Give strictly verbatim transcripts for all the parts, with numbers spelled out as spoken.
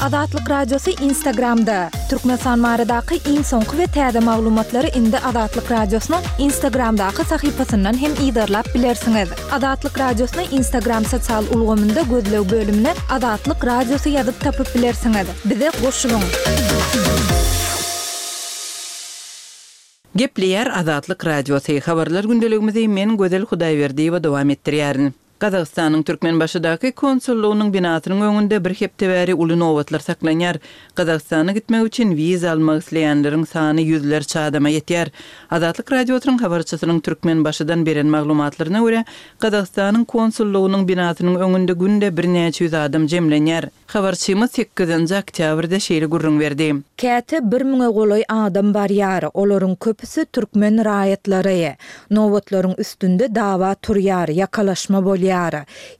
Azatlyk Radiosy Instagramda. Türkmenistan baradaky iň soňky we täze maglumatlary indi Azatlyk Radiosynyň Instagramdaky sahypasyndan hem yzarlap bilersiňiz. Azatlyk Radiosyny Instagram sosial ulgamynda gözleg bölümine Azatlyk Radiosy ýazyp tapyp bilersiňiz. Bize goşulyň. Gepleýär Azatlyk Radiosy. Habarlar gündeligimizi men Gözel Hudaýberdiýewa dowam etdirýärin. Gazagystanyň Türkmenbaşydaky konsullygynyň binasynyň öňünde bir hepde bäri uly nobatlar saklanýar. Gazagystana gitmek üçin wiza almak isleýänleriň sany ýüzlerçe adama ýetýär. Azatlyk Radiosynyň habarçysynyň Türkmenbaşydan beren maglumatlaryna görä, Gazagystanyň konsullygynyň binasynyň öňünde günde birnäçe ýüz adam jemlenýär. Habarçymyz sekizinji oktýabrda şeýle gürrüň berdi. Käte bir müňe golaý adam barýar, olaryň köpüsi türkmen raýatlary. Nobatlaryň üstünde dawa turýar, ýakalaşma bolýar.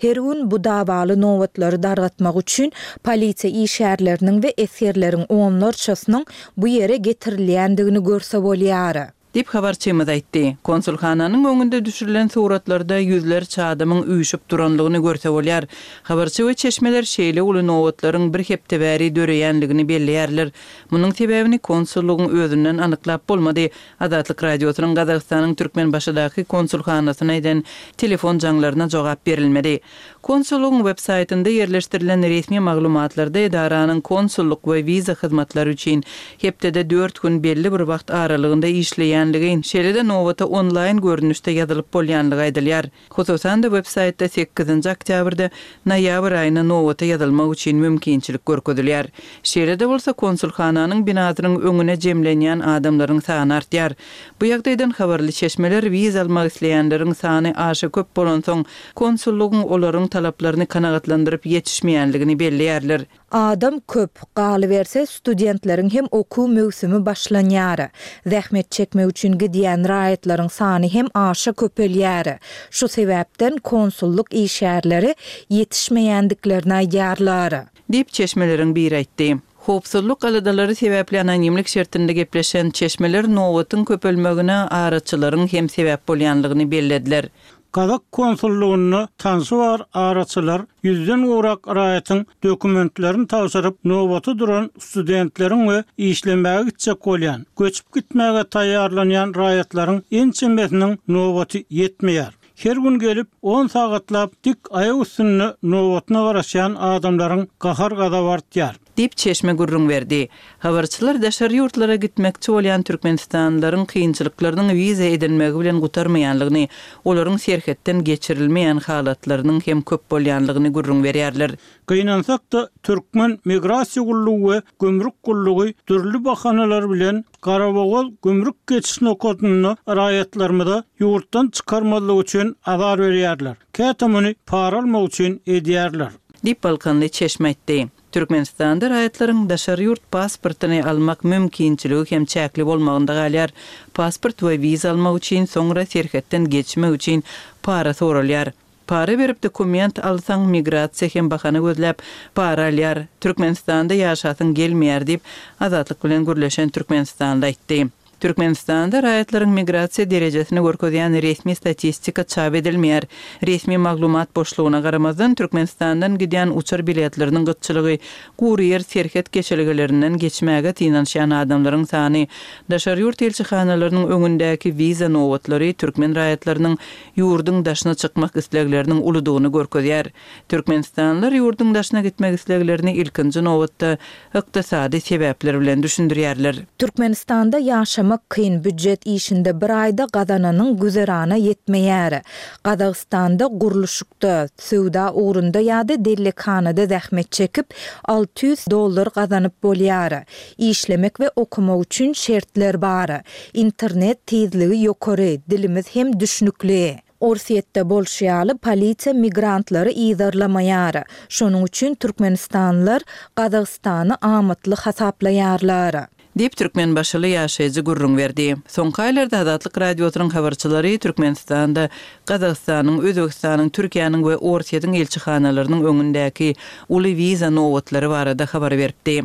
Her gün bu dawaly nobatlary dargatmak üçin polisiýa işgärleriniň we esgerleriň onlarçasynyň bu ýere getirilýändigini görse bolýar. Diýip habarçymyz aýtdy. Konsulhananyň öňünde düşürilen suratlarda ýüzlerçe adamyň üýşüp duranlygyny görse bolýar. Habarçy we çeşmeler şeýle uly nobatlaryň bir hepde bäri döreýänligini belleýärler. Munuň sebäbini konsullygyň özünden anyklap bolmady. Azatlyk Radiosynyň Gazagystanyň Türkmenbaşydaky konsulhanasyna eden telefon jaňlaryna jogap berilmedi. Konsullygyň web saýtynda ýerleşdirilen resmi maglumatlarda edaranyň konsullyk we wiza hyzmatlary üçin hepdede dört gün belli bir wagt aralygynda işleýänligi, şeýle-de nobata onlaýn görnüşde ýazylyp bolýanlygy aýdylýar. Hususan-da web saýtda sekizinji oktýabrda noýabr aýyna nobata ýazylmak üçin mümkinçilik görkezilýär. Şeýle-de bolsa konsulhananyň binasynyň öňüne jemlenýän adamlaryň sany artýar. Bu ýagdaýdan habarly çeşmeler wiza almak isleýänleriň sany aşa köp bolansoň konsullygyň olaryň talaplaryny kanagatlandyryp ýetişmeýänligini belleýärler. Adam köp, galyberse studentleriň hem okuw möwsümi başlanýar. Zähmet çekmek üçin gidýän raýatlaryň sany hem aşa köpelýär. Şu sebäpden konsullyk işgärleri ýetişmeýändiklerini aýdýarlar. Diýip çeşmeleriň biri aýtdy. Howpsuzlyk aladalary sebäpli anonimlik şertinde gepleşen çeşmeler nobatyň köpelmegine araçylaryň hem sebäp bolýanlygyny bellediler. Gazak konsullugynda tanşy bar araçylar ýüzden gowrak raýatyň dokumentlerini tabşyryp nobata duran studentleriň we işlemäge gitjek bolýan, göçüp gitmäge taýýarlanýan raýatlaryň ençemesiniň nobaty ýetmeýär. Her gün gelip on sagatlap dik aýak üstünde nobatyna garaşýan adamlaryň gahar gazaby artýar. Diýip çeşme gürrüň berdi. Habarçylar daşary ýurtlara gitmekçi bolýan türkmenistanlylaryň kynçylyklarynyň wiza edinmegi bilen gutarmaýanlygyny, olaryň serhetden geçirilmeýän halatlarynyň hem köp bolýanlygyny gürrüň berýärler. Gynansak-da Türkmen migrasiýa gullugy we gümrük gullugy dürli bahanalar bilen Garabogaz gümrük geçiş nokatynda raýatlarymyza ýurtdan çykarmazlyk üçin azar berýärler. Käte muny para almak üçin edýärler. Diýip Balkanly çeşme aýtdy. Türkmenistanda raýatlaryň daşary ýurt pasportyny almak mümkinçiligi hem çäkli bolmagynda galýar. Pasport we wiza almak üçin soňra serhetden geçmek üçin para soralýar. Para berip dokument alsaň migrasiýa hem bahana gözläp para alýar. Türkmenistanda ýaşasyň gelmeýär diýip Azatlyk bilen gürleşen Türkmenistanda aýtdy. Türkmenistanda raýatlaryň migrasiýa derejesini görkezýän resmi statistika çap edilmeýär. Resmi maglumat boşlugyna garamazdan Türkmenistandan gidýän uçar biletleriniň gytçylygy, gury ýer serhet geçelgelerinden geçmäge synanyşýan adamlaryň sany, daşary ýurt elçihanalarynyň öňündäki wiza nobatlary türkmen raýatlarynyň ýurduň daşyna çykmak islegleriniň uludygyny görkezýär. Türkmenistanlylar ýurduň daşyna gitmek isleglerini ilkinji nobatda ykdysady sebäpler bilen düşündirýärler. Türkmenistanda ýaşamak kyn býujet işinde bir aýda gazananyň güzerana ýetmeýär. Gazagystanda gurluşykda, söwda ugrunda ýa-da dellekhanada zähmet çekip alty ýüz dollar gazanyp bolýar. Işlemek we okumak üçin şertler bar. Internet tizligi ýokary, dilimiz hem düşnükli. Orsýetde bolşy ýaly polisiýa migrantlary yzarlamaýar. Şonuň üçin türkmenistanlylar Gazagystany amatly hasaplaýarlar. Diýip Türkmenbaşyly ýaşaýjy gürrüň berdi. Soňky aýlarda Azatlyk Radiosynyň habarçylary Türkmenistanda Gazagystanyň, Özbegistanyň, Türkiýäniň we Orsýetiň elçihanalarynyň öňündäki uly wiza nobatlary barada habar beripdi.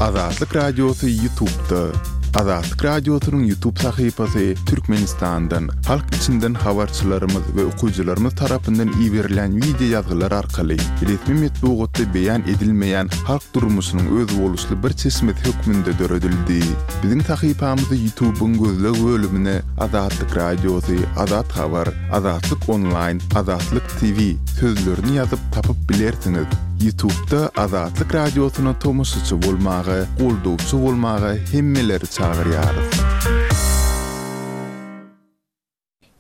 Azatlyk Radiosy YouTube'da. Azatlyk Radiosynyň YouTube sahypasy Türkmenistandan, halk içinden habarçylarymyz we okyjylarymyz tarapyndan iberilen wideo ýazgylar arkaly resmi metbugatda beýan edilmeýän halk durmuşynyň özboluşly bir çeşmesi hökmünde döredildi. Biziň sahypamyzy YouTube-yň gözleg bölümine Azatlyk Radiosy, Azat Habar, Azatlyk Onlaýn, Azatlyk T V sözlerini ýazyp tapyp bilersiňiz. YouTube-da Azatlyk Radiosyna tomaşaçy bolmaga, goldawçy bolmaga hemmeleri çagyrýarys.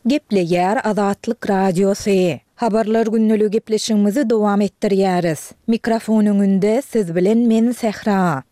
Gepleýär Azatlyk Radiosy. Habarlar gündeligi gepleşigimizi dowam etdirýäris. Mikrofon öňünde siz bilen men Sähra.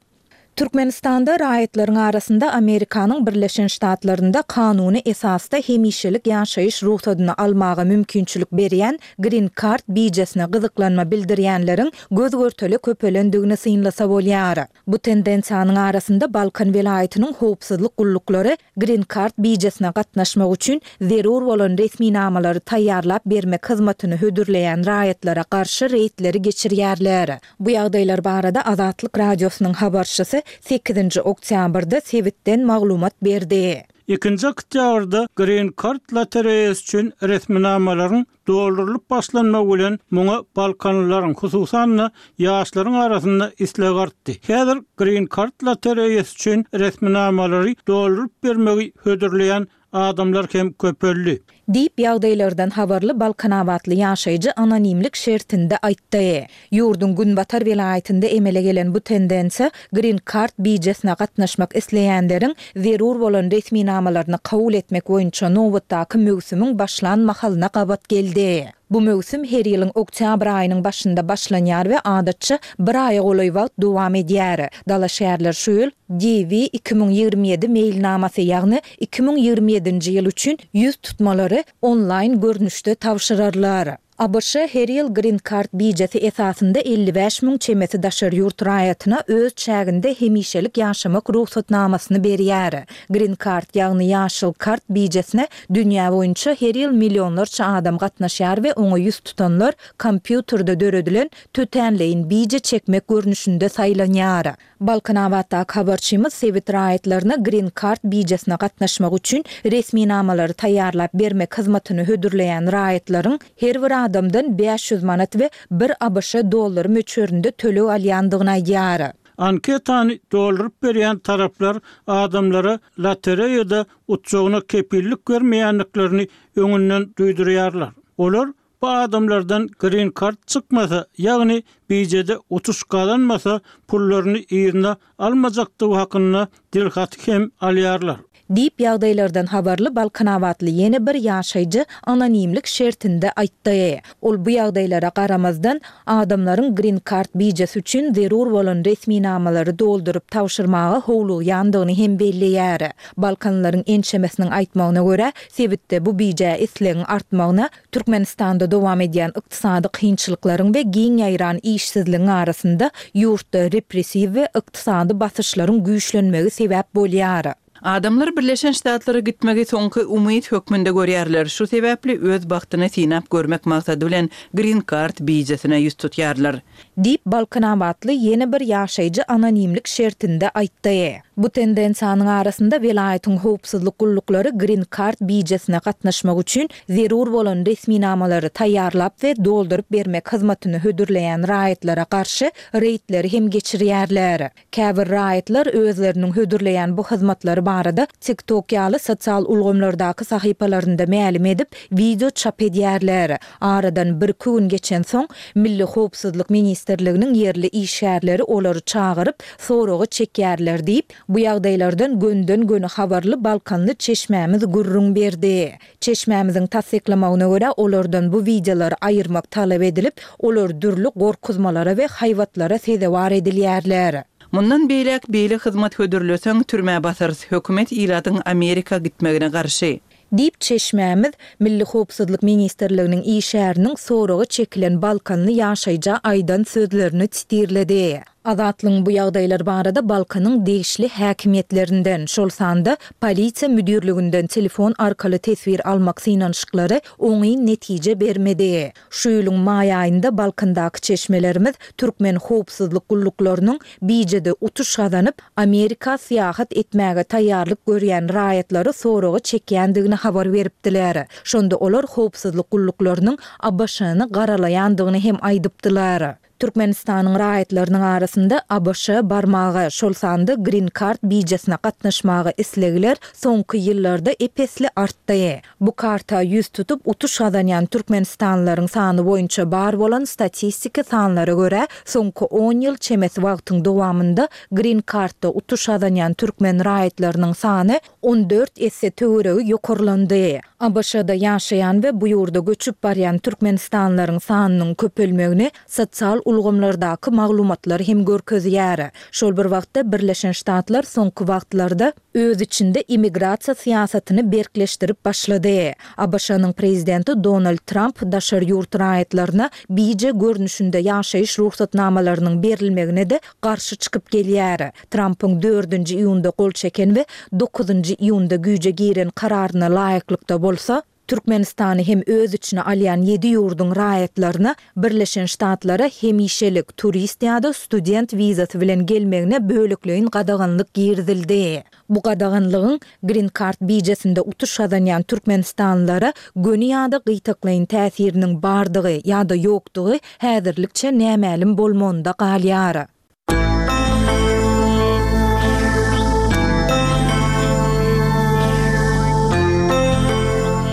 Türkmenistanda raýatlaryň arasynda Amerikanyň Birleşen Ştatlarynda kanuny esasda hemişelik ýaşaýyş rugsadyny almaga mümkinçilik berýän Green Card bijesine gyzyklanma bildirýänleriň göz-görtele köpelendigini synlasa bolýar. Bu tendensiýanyň arasynda Balkan welaýatynyň howpsuzlyk gulluklary Green Card bijesine gatnaşmak üçin zerur bolan resminamalary taýýarlap bermek hyzmatyny hödürleýän raýatlara garşy reýdleri geçirýärler. Bu ýagdaýlar barada Azatlyk Radiosynyň habarçysy sekizinji oktýabrda sebitden maglumat berdi. Ikinji oktýabrda Green Card lotereýasy üçin resminamalaryň doldurylyp başlanmagy bilen muňa Balkanlylaryň, hususan-da ýaşlaryň arasynda isleg artdy. Häzir Green Card lotereýasy üçin resminamalary dolduryp bermegi hödürleýän adamlar hem köpeldi. Diýip ýagdaýlardan habarly Balkanabatly ýaşaýjy anonimlik şertinde aýtdy. Ýurduň Günbatar welaýatynda emele gelen bu tendensiýa Green Card bijesine gatnaşmak isleýänleriň zerur bolan resminamalaryny kabul etmek boýunça nobatdaky möwsümiň başlan mahalyna gabat geldi. Bu möwsüm her ýylyň oktýabr aýynyň başynda başlanýar we adatça bir aýa golaý wagt dowam edýär. Dalaşgärler şu ýyl D V iki müň ýigrimi ýedi meýilnamasy, ýagny iki müň ýigrimi ýedinji ýyl üçin ýüz tutmalary onlaýn görnüşde tabşyrarlar. A B Ş her ýyl Green Card bijesi esasynda elli bäş müň çemesi daşary ýurt raýatyna öz çäginde hemişelik ýaşamak rugsatnamasyny berýär. Green Card, ýagny ýaşyl kart bijesine dünýä boýunça her ýyl millionlarça adam gatnaşýar we oňa ýüz tutanlar kompýuterde döredilen tötänleýin bije çekmek görnüşinde saýlanýar. Balkanabatdaky habarçymyz sebit raýatlaryna Green Card bijesine gatnaşmak üçin resminamalary taýýarlap bermek hyzmatyny hödürleýän raýatlaryň her bir adamdan bäş ýüz manat we bir A B Ş dollary möçberinde töleg alýandygyny aýdýar. Anketany dolduryp berýän taraplar adamlara lotereýada utjagyna kepillik bermeýändiklerini öňünden duýdurýarlar. Olar bu adamlardan Green Card çykmasa, ýagny bijede utuş gazanmasa, pullaryny ýerine almajakdygy hakynda dilhaty hem alýarlar. Diýip ýagdaýlardan habarly Balkanabatly ýene bir ýaşaýjy anonimlik şertinde aýtdy. Ol bu ýagdaýlara garamazdan adamlaryň Green Card bijesi üçin zerur bolan resminamalary dolduryp tabşyrmaga howlugýandygyny hem belleýär. Balkanlaryň ençemesiniň aýtmagyna görä, sebitde bu bije islegiň artmagyna Türkmenistanda dowam edýän ykdysady kynçylyklaryň we giň ýaýran işsizligiň arasynda ýurtda repressiw we ykdysady basyşlaryň güýçlenmegi sebäp bolýar. Adamlar Birleşen Ştatlara gitmegi soňky umyt hökmünde görýärler. Şu sebäpli öz bagtyny synap görmek maksady bilen Green Card bijesine ýüz tutýarlar. Diýip Balkanabatly ýene bir ýaşaýjy anonimlik şertinde aýtdy. Bu tendensiýanyň arasynda welaýatyň howpsuzlyk gulluklary Green Card bijesine gatnaşmak üçin zerur bolan resminamalary taýýarlap we dolduryp bermek hyzmatyny hödürleýän raýatlara garşy reýdleri hem geçirýärler. Käbir raýatlar özleriniň hödürleýän bu hyzmatlary barada TikTok ýaly sosial ulgamlardaky sahypalarynda mälim edip video çap edýärler. Aradan bir iki gün geçen soň Milli Howpsuzlyk Ministrliginiň ýerli işgärleri olary çagyryp soragy çekýärler diýip, bu ýagdaýlardan gönden göni habarly Balkanly çeşmämiz gürrüň berdi. Çeşmämiziň tassyklamagyna görä olardan bu videolary aýyrmak talap edilip, olar dürli gorkuzmalara we haýbatlara sezewar edilýärler. Mundan beýläk beýle hyzmat hödürleseň türmä basarys, hökümet ilatyň Amerika gitmegine garşy. Diýip çeşmämiz Milli Howpsuzlyk Ministrliginiň işgäriniň soragy çekilen Balkanly ýaşaýja aýdan sözlerini titirledi. Azatlygyň bu ýagdaýlar barada Balkanyň degişli häkimiýetlerinden, şol sanda Polisiýa müdirliginden telefon arkaly teswir almak synanyşyklary oňyn netije bermedi. Şu ýylyň maý aýynda Balkandaky çeşmelerimiz türkmen howpsuzlyk gulluklarynyň bijede utuş gazanyp, Amerika syýahat etmäge taýýarlyk görýän raýatlary soraga çekýändigini habar beripdiler. Şonda olar howpsuzlyk gulluklarynyň ABŞ-ny garalaýandygyny hem aýdypdylar. Türkmenistanyň raýatlarynyň arasynda ABŞ-a barmaga, şol sanda Green Card bijesine gatnaşmaga islegler soňky ýyllarda ep-esli artdy. Bu karta ýüz tutup utuş gazanýan türkmenistanlylaryň sany boýunça bar bolan statistiki sanlara görä, soňky on ýyl çemesi wagtyň dowamynda Green Card-da utuş gazanýan türkmen raýatlarynyň sany on dört esse töweregi ýokarlandy. ABŞ-da ýaşaýan we bu ýurda göçüp barýan türkmenistanlylaryň sanynyň köpelmegini sosial ulgamlardaky maglumatlar hem görkezýär. Şol bir wagtda Birleşen Ştatlar soňky wagtlarda öz içinde immigrasiýa syýasatyny berkleşdirip başlady. ABŞ-nyň prezidenti Donald Tramp daşary ýurt raýatlaryna bije görnüşinde ýaşaýyş rugsatnamalarynyň berilmegine-de garşy çykyp gelýär. Trampyň dördünji iýunda gol çeken we dokuzynjy iýunda güýje giren kararyna laýyklykda bolsa, Türkmenistany hem öz içine alýan ýedi ýurduň raýatlaryna Birleşen Ştatlara hemişelik turist ýa-da student wizasy bilen gelmegine bölekleýin gadaganlyk girizildi. Bu gadaganlygyň Green Card bijesinde utuş gazanýan türkmenistanlylara göni ýa-da gytaklaýyn täsiriniň bardygy ýa-da ýokdugy häzirlikçe nämälim bolmagynda galýar.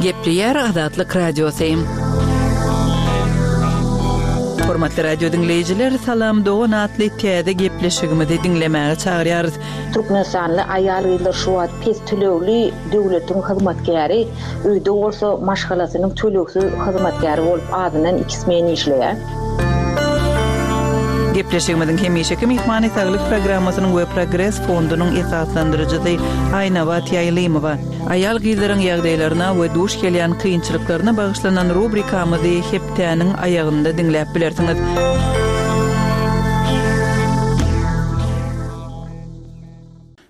Gepleýär Azatlyk Radiosy. Hormatly radio diňleýjiler, Salam dogan atly täze gepleşigimizi diňlemäge çagyrýarys. Türkmenistanly aýal-gyzlar şu wagt pes tölegli döwletiň hyzmatkäri, öýde bolsa maşgalasynyň tölegsiz hyzmatkäri bolup azyndan iki smen işleýär. Gepleşigimiziň hemişeki myhmany Saglyk programmasynyň we Progres fondunyň esaslandyryjysy Aýnabat Ýaýlymowa. Aýal-gyzlaryň ýagdaýlaryna we duş gelýän kynçylyklaryna bagyşlanan rubrikamyzy hepdäniň aýagynda diňläp bilersiňiz.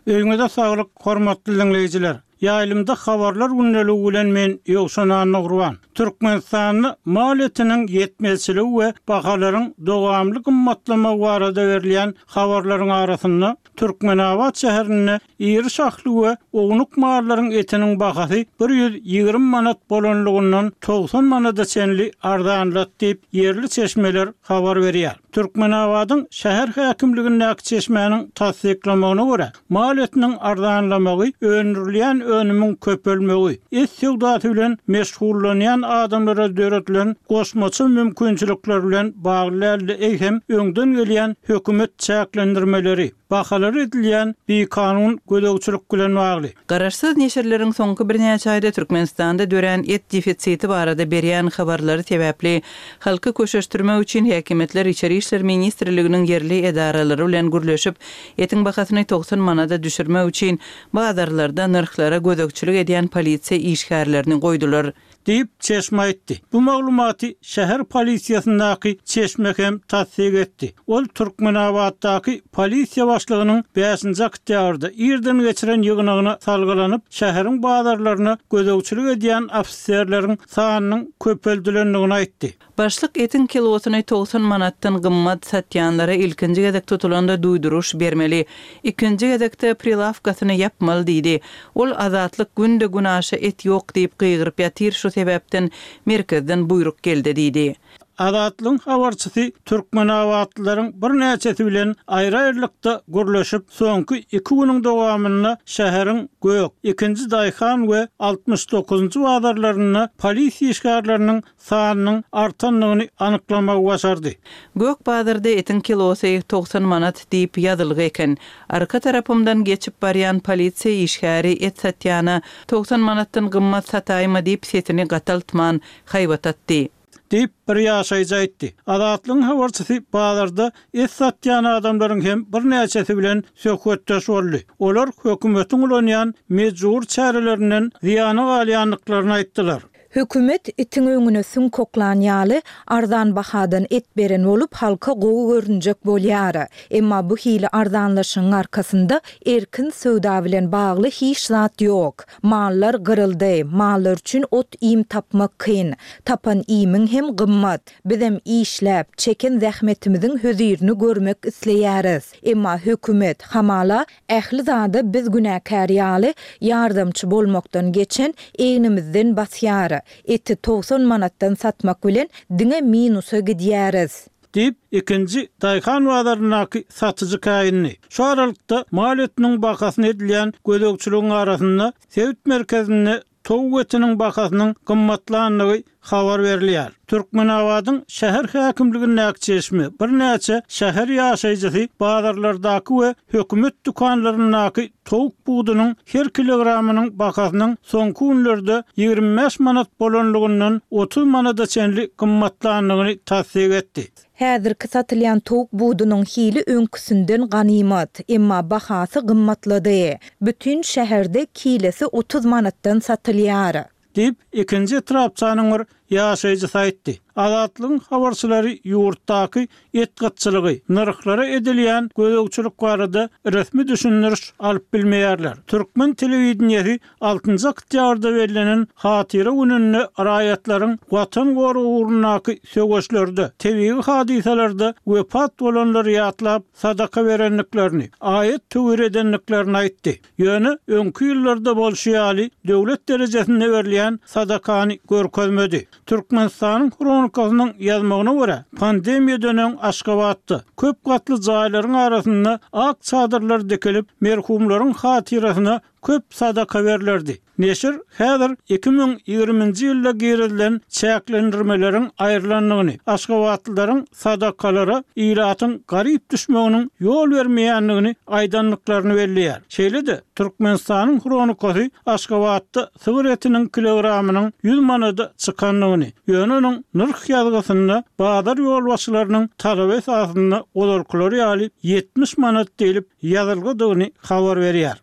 Öýüňize saglyk, hormatly diňleýjiler. Ýaýlymda habarlar gündeligi bilen men Ýowşan Annagurban. Türkmenistanda mal etiniň ýetmezçiligi we bahalaryň dowamly gymmatlamagy barada berilýän habarlaryň arasynda Türkmenabat şäherinde iri şahly we ownuk mallaryň etiniň bahasy bir ýüz ýigrimi manat bolanlygyndan togsan manada çenli arzanlat diýip ýerli çeşmeler habar berýär. Türkmenabadyň şäher häkimligindäki çeşmäniň tassyklamagyna görä, mal etiniň arzanlamagy öndürilýän önümiň köpelmegi, et söwdasy bilen meşgullanýan adamlara döredilen goşmaça mümkinçilikler bilen bagly däldi, eýsem öňden gelýän hökümet çäklendirmeleri, bahalary edilýän bikanun gözegçilik bilen bagly. Garaşsyz neşirleriň soňky birnäçe aýda Türkmenistanda dörän et defisiti barada berýän habarlary sebäpli halky köşeşdirmek üçin häkimiýetler Içeri işler ministrliginiň ýerli edaralary bilen gürleşip, etiň bahasyny togsan manada düşürmek üçin bazarlarda nyrhlara gözegçilik edýän polisiýa işgärlerini goýdular. Diýip çeşme aýtdy. Bu maglumaty şäher polisiýasyndaky çeşme hem tassyk etdi. Ol Türkmenabatdaky polisiýa başlygynyň bäşinji oktýabrda irden geçiren ýygnagyna salgylanyp, şäheriň bazarlaryna gözegçilik edýän ofiserleriň sanynyň köpeldilendigini aýtdy. Başlyk etiň kilosyny togsan manatdan gymmat satýanlara ilkinji gezek tutulanda duýduruş bermeli. Ikinji gezekde prilawkasyny ýapmaly diýdi. Ol azatlyk günde günaşa et ýok diýip gygyryp ýatyr, şu sebäpden merkezden buýruk geldi diýdi. Azatlygyň habarçysy Türkmenabatlylaryň birnäçesi bilen aýry-aýrylykda gürleşip, soňky iki günüň dowamynda şäheriň Gök, ikinji Daýhan we altmyş dokuzynjy bazarlarynda polisiýa işgärleriniň sanynyň artandygyny anyklamagy başardy. Gök bazarda etiň kilosy togsan manat diýip ýazylgy eken. Arka tarapymdan geçip barýan polisiýa işgäri et satýana togsan manatdan gymmat sataýma diýip sesini gataltman haýbat atdy. Diýip bir ýaşaýjy aýtdy. Azatlygyň habarçysy bazarda et satýan adamlaryň hem birnäçesi bilen söhbetdeş boldy. Olar hökümetiň ulanýan mejbur çärelerinden zyýana galýandyklaryny aýtdylar. Hökümet itiň öňüne süňk oklan ýaly, arzan bahadan et beren bolup, halka gowy görünjek bolýar. Emma bu hili arzanlaşygyň arkasynda erkin söwda bilen bagly hiç zat ýok. Mallar gyryldy, mallar üçin ot-iým tapmak kyn. Tapan iýmiň hem gymmat. Bizem işläp, çeken zähmetimiziň hözirini görmek isleýäris. Emma hökümet, hamala, ähli zada biz günäkär ýaly, ýardamçy bolmakdan geçen, egnimizden basýar. Eti togsan manatdan satmak bilen diňe minusa gidýäris. Diýip, ikinji daýhan bazaryndaky satyjy käýindi. Şu aralykda, mal etiniň bahasyna edilýän gözegçiligiň arasynda, sebit merkezinde towuk etiniň bahasynyň gymmatlandygy habar berilýär. Türkmenabadyň şäher häkimligindäki çeşme, birnäçe şäher ýaşaýjysy bazarlardaky we hökümet dükanlaryndaky towuk budunyň her kilogramynyň bahasynyň soňky günlerde ýigrimi bäş manat bolanlygyndan otuz manada çenli gymmatlandygyny tassyk etdi. Häzirki satylýan towuk budunyň hili öňküsinden ganymat, emma bahasy gymmatlady. Bütin şäherde kilesi otuz manatdan satylýar. Diýip, ikinji etrapçanyň bir ýaşaýjysy aýtdy. Azatlygyň habarçylary ýurtdaky et gytçylygy, nyrhlara edilýän gözegçilik barada resmi düşündiriş alyp bilmeýärler. Türkmen telewideniýesi altynjy oktýabrda bellenen Hatyra gününde raýatlaryň Watan goragy ugrundaky söweşlerde, tebigy hadysalarda wepat bolanlary ýatlap, sadaka berendiklerini, aýat-töwir edendiklerini aýtdy. Ýöne öňki ýyllarda bolşy ýaly, döwlet derejesinde berilýän sadakany görkezmedi. Türkmenistanyň Hronikasynyň ýazmagyna görä, pandemiýadan öň Aşgabatda köp gatly jaýlaryň arasynda ak çadyrlar dikilip, merhumlaryň hatyrasyna köp sadaka berlerdi. Neşir häzir iki müň ýigriminji ýylda girizilen çäklendirmeleriň aýrylandygyny, aşgabatlylaryň sadakalara ilatyň garyp düşmeginiň ýol bermeýändigini aýdandyklaryny belleýär. Şeýle-de, Türkmenistanyň Hronikasy Aşgabatda sygyr etiniň kilogramynyň ýüz manada çykandygyny, ýöne onuň nyrh ýazgysynda bazar ýolbaşçylarynyň talaby esasynda ozalkylary ýaly ýetmiş manat diýlip ýazylgydygyny habar berýär.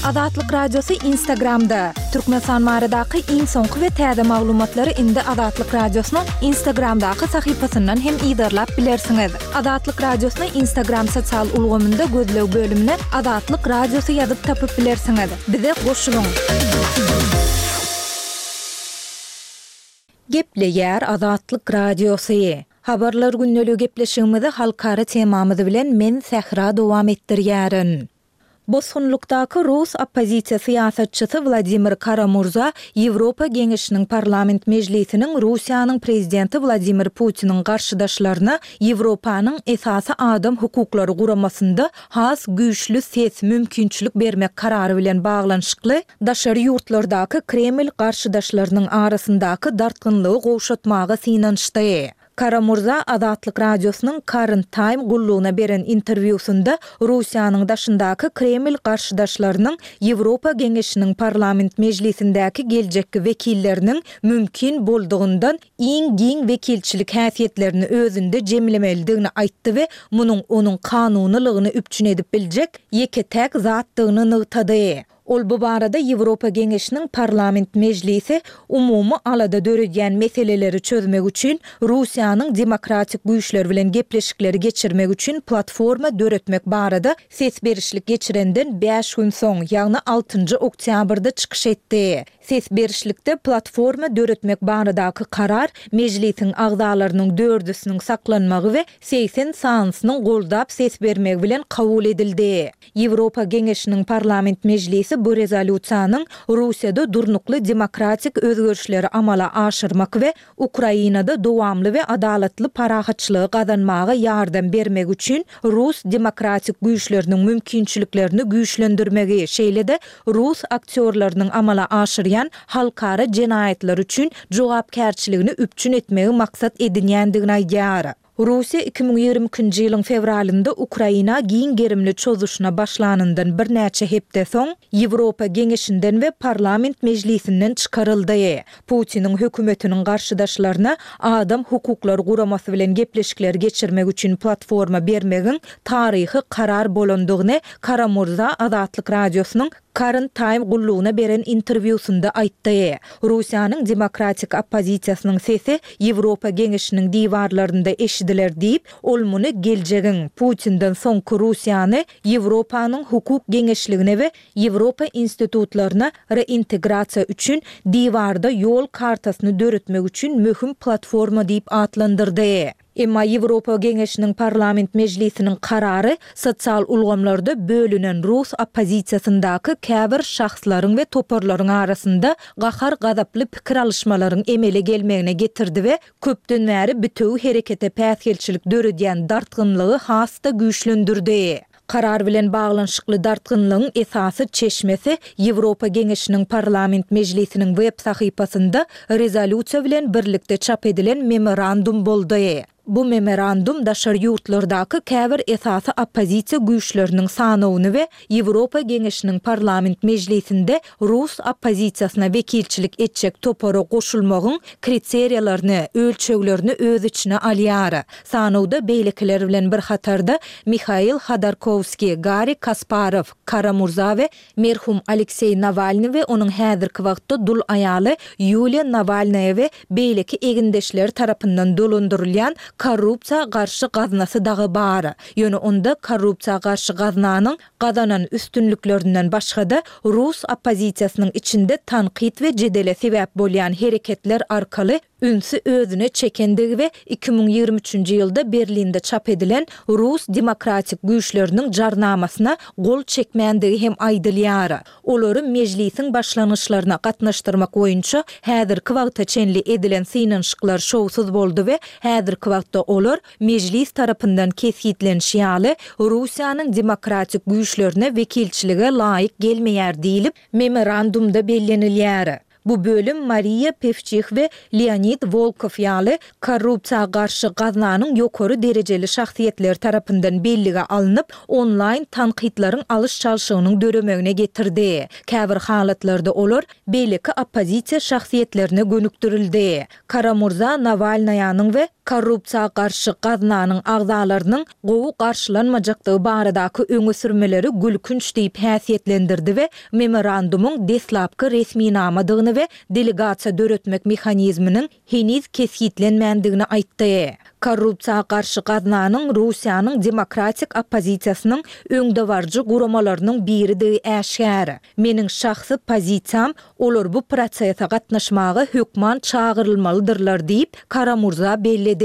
Azatlyk Radiosy Instagramda, Türkmenistan baradaky iň soňky we täze maglumatlary indi Azatlyk Radiosynyň Instagramdaky sahypasyndan hem yzarlap bilersiňiz. Azatlyk Radiosyny Instagram sosial ulgamynda gözleg bölümine Azatlyk Radiosy ýazyp tapyp bilersiňiz. Bize goşulyň! Gepleýär Azatlyk Radiosy. Habarlar gündeligi gepleşigimizi halkara temamyz bilen men Sähra dowam etdirýärin. Bosgunlykdaky rus oppozisiýa syýasatçysy Wladimir Kara-Murza Ýewropa Geňeşiniň Parlament mejlisiniň Russiýanyň Prezidenti Wladimir Putiniň garşydaşlaryna Ýewropanyň esasy adam hukuklary guramasynda has güýçli ses, mümkinçilik bermek karary bilen baglanyşykly daşary ýurtlardaky Kreml garşydaşlarynyň arasyndaky dartgynlygy gowşatmaga synanyşdy. Kara-Murza Azatlyk Radiosynyň Current Time gullugyna beren interwýusynda Russiýanyň daşyndaky Kreml garşydaşlarynyň Ýewropa Geňeşiniň Parlament mejlisindäki geljekki wekilleriniň mümkin boldugyndan iň giň wekilçilik häsiýetlerini özünde jemlemelidigini aýtdy we munuň onuň kanunylygyny üpjün edip biljek ýeke-täk zatdygyny nygtady. Ol bu barada Ýewropa Geňeşiniň Parlament mejlisi umumy alada döredýän meseleleri çözmek üçin Russiýanyň demokratik güýçleri bilen gepleşikleri geçirmek üçin platforma döretmek barada ses berişlik geçirenden bäş gün soň, ýagny altynjy oktýabrda çykyş etdi. Ses berişlikde platforma döretmek baradaky karar Mejlisiň agzalarynyň dördüsiniň saklanmagy we segsen sanysynyň goldap ses bermegi bilen kabul edildi. Ýewropa Geňeşiniň Parlament mejlisi bu rezolýusiýanyň Russiýada durnukly demokratik özgerişleri amala aşyrmak we Ukrainada dowamly we adalatly parahatçylygy gazanmaga ýardam bermek üçin rus demokratik güýçleriniň mümkinçiliklerini güýçlendirmegi, şeýle-de rus aktýorlarynyň amala aşyrýan halkara jenaýatlary üçin jogapkärçiligini üpjün etmegi maksat edinýändigini aýdýar. Russiýa iki müň ýigrimi ikinji ýylyň fewralynda Ukraina giň gerimli çozuşyna başlanyndan birnäçe hepde soň, Ýewropa Geňeşinden we Parlament mejlisinden çykaryldy. Putiniň hökümetiniň garşydaşlaryna Adam hukuklary guramasy bilen gepleşikleri geçirmek üçin platforma bermegiň taryhy karar bolandygyny Kara-Murza Azatlyk Radiosynyň Current Time gullugyna beren interwýusynda aýtdy. Russiýanyň demokratik oppozisiýasynyň sesi Ýewropa Geňeşiniň diwarlarynda eşidiler diýip, ol muny geljegiň, Putinden soňky Russiýany Ýewropanyň hukuk geňeşligine we Ýewropa institutlaryna reintegrasiýa üçin diwarda ýol kartasyny döretmek üçin möhüm platforma diýip atlandyrdy. Emma Ýewropa Geňeşiniň Parlament mejlisiniň karary sosial ulgamlarda bölünen rus oppozisiýasyndaky käbir şahslaryň we toparlaryň arasynda gahar-gazaply pikir alyşmalaryň emele gelmegine getirdi we köpden bäri bitewi herekete päsgelçilik döredýän dartgynlygy has-da güýçlendirdi. Karar bilen baglanyşykly dartgynlygyň esasy çeşmesi Ýewropa Geňeşiniň Parlament mejlisiniň web sahypasynda rezolýusiýa bilen birlikde çap edilen memorandum boldy. Bu memorandum daşary ýurtlardaky käbir esasy oppozisiýa güýçleriniň sanawyny we Ýewropa Geňeşiniň Parlament mejlisinde rus oppozisiýasyna wekilçilik etjek topara goşulmagyň kriteriýalaryny, ölçeglerini öz içine alýar. Sanawda beýlekiler bilen bir hatarda Mihail Hodorkowskiý, Garri Kasparow, Kara-Murza we merhum Alekseý Nawalnyý we onuň häzirki wagtda dul aýaly Ýuliýa Nawalnaýa we beýleki egindeşleri tarapyndan dolandyrylýan Korrupsiýa garşy gaznasy dagy bar. Ýöne onda Korrupsiýa garşy gaznanyň gazanan üstünliklerinden başga-da, rus oppozisiýasynyň içinde tankyt we jedele sebäp bolýan hereketler arkaly ünsi özüne çekendigi we iki müň ýigrimi üçünji ýylda Berlinde çap edilen Rus demokratik güýçleriniň jarnamasyna gol çekmändigi hem aýdylýar. Olary Mejlisiň başlangyçlaryna gatnaşdyrmak boýunça häzirki wagta çenli edilen synanyşyklar şowsuz boldy we häzirki wagtda olar Mejlis tarapyndan kesgitlenişi ýaly, Russiýanyň demokratik güýçlerine wekilçilige laýyk gelmeýär diýlip, memorandumda bellenilýär. Bu bölüm Mariýa Pewçih we Leonid Wolkow ýaly korrupsiýa garşy gaznanyň ýokary derejeli şahsyýetleri tarapyndan bellige alnyp, onlaýn tankytlaryň alyş-çalşygynyň döremegine getirdi. Käbir halatlarda olar beýleki oppozisiýa şahsyýetlerine gönükdirildi. Kara-Murza Nawalnaýanyň we Korrupsiýa garşy gaznanyň agzalarynyň gowy garşylanmajakdygy baradaky öňe sürmeleri gülkünç diýip häsiýetlendirdi we memorandumyň deslapky resminamadygyny we delegasiýa döretmek mehanizminiň heniz kesgitlenmändigini aýtdy. Korrupsiýa garşy gaznanyň Russiýanyň demokratik oppozisiýasynyň öňdebaryjy guramalarynyň biridigi äşgär. Meniň şahsy pozisiýam, olar bu prosese gatnaşmaga hökman çagyrylmalydyrlar diýip, Kara-Murza belledi.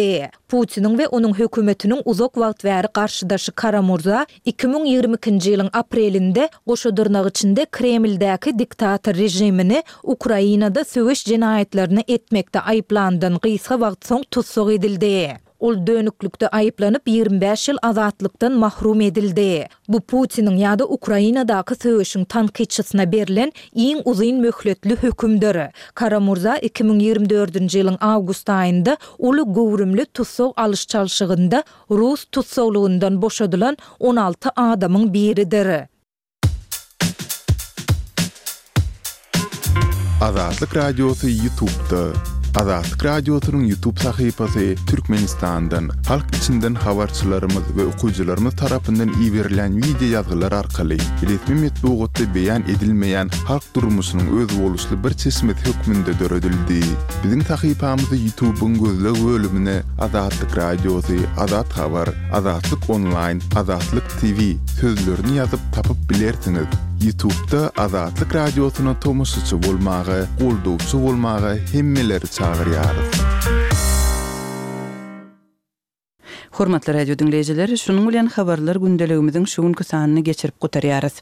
Putiniň we onuň hökümetiniň uzak wagt bäri garşydaşy Kara-Murza iki müň ýigrimi ikinji ýylyň aprelinde goşa dyrnak içinde Kremldäki diktator režimini Ukrainada söweş jenaýatlaryny etmekde aýyplandan gysga wagt soň tussag edildi. Ol dönüklikde aýyplanyp, ýigrimi bäş ýyl azatlykdan mahrum edildi. Bu Putiniň ýa-da Ukrainadaky söweşiň tankytçysyna berlen iň uzyn möhletli hökümdir. Kara-Murza iki müň ýigrimi dördünji ýylyň awgust aýynda uly göwrümli tussag alyş-çalşygynda rus tussaglygyndan boşadylan on alty adamyň biridir. Azatlyk Radiosy YouTube'da. Azatlyk Radiosynyň YouTube sahypasy Türkmenistandan, halk içinden habarçylarymyz we okyjylarymyz tarapyndan iberilýän wideo ýazgylar arkaly resmi metbugatda beýan edilmeýän halk durmuşynyň özboluşly bir çeşmesi hökmünde döredildi. Biziň sahypamyzy YouTube'yň gözleg bölümine Azatlyk Radiosy, Azat Habar, Azatlyk Onlaýn, Azatlyk T V sözlerini ýazyp tapyp bilersiňiz. YouTube'da Azatlyk Radiosyna tomaşaçy bolmaga, goldawçy bolmaga hemmeleri çagyrýarys. Hormatly radio diňleýjiler, şunuň bilen habarlar gündeligimiziň şu günki sanyny geçirip gutarýarys.